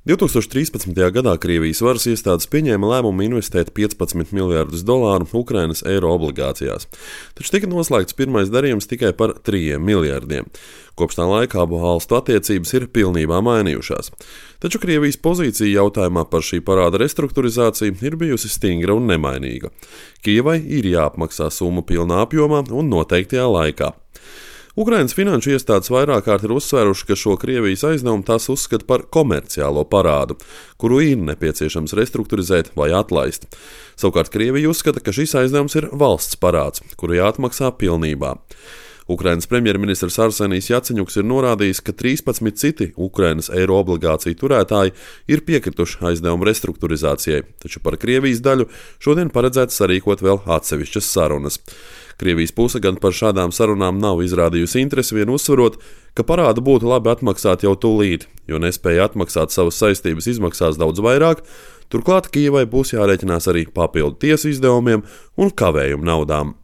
2013. gadā Krievijas varas iestādes pieņēma lēmumu investēt $15 miljardus Ukrainas eiro obligācijās, taču tika noslēgts pirmais darījums tikai par 3 miljardiem. Kopš tā laika abu valstu attiecības ir pilnībā mainījušās. Taču Krievijas pozīcija jautājumā par šī parāda restruktūrizāciju ir bijusi stingra un nemainīga. Kijevai ir jāapmaksā summa pilnā apjomā un noteiktajā laikā. Ukrainas finanšu iestādes vairāk kārt ir uzsvēruši, ka šo Krievijas aizdevumu tās uzskata par komerciālo parādu, kuru ir nepieciešams restruktūrizēt vai atlaist. Savukārt Krievija uzskata, ka šis aizdevums ir valsts parāds, kuru jāatmaksā pilnībā. Ukrainas premjerministrs Arsenijs Jaceņuks ir norādījis, ka 13 citi Ukrainas eiro obligāciju turētāji ir piekrituši aizdevumu restruktūrizācijai, taču par Krievijas daļu šodien paredzēts sarīkot vēl atsevišķas sarunas. Krievijas puse gan par šādām sarunām nav izrādījusi interesi, vien uzsverot, ka parādu būtu labi atmaksāt jau tūlīt, jo nespēja atmaksāt savas saistības izmaksās daudz vairāk, turklāt Kijevai būs jārēķinās arī papildu tiesu izdevumiem un kavējumu naudām.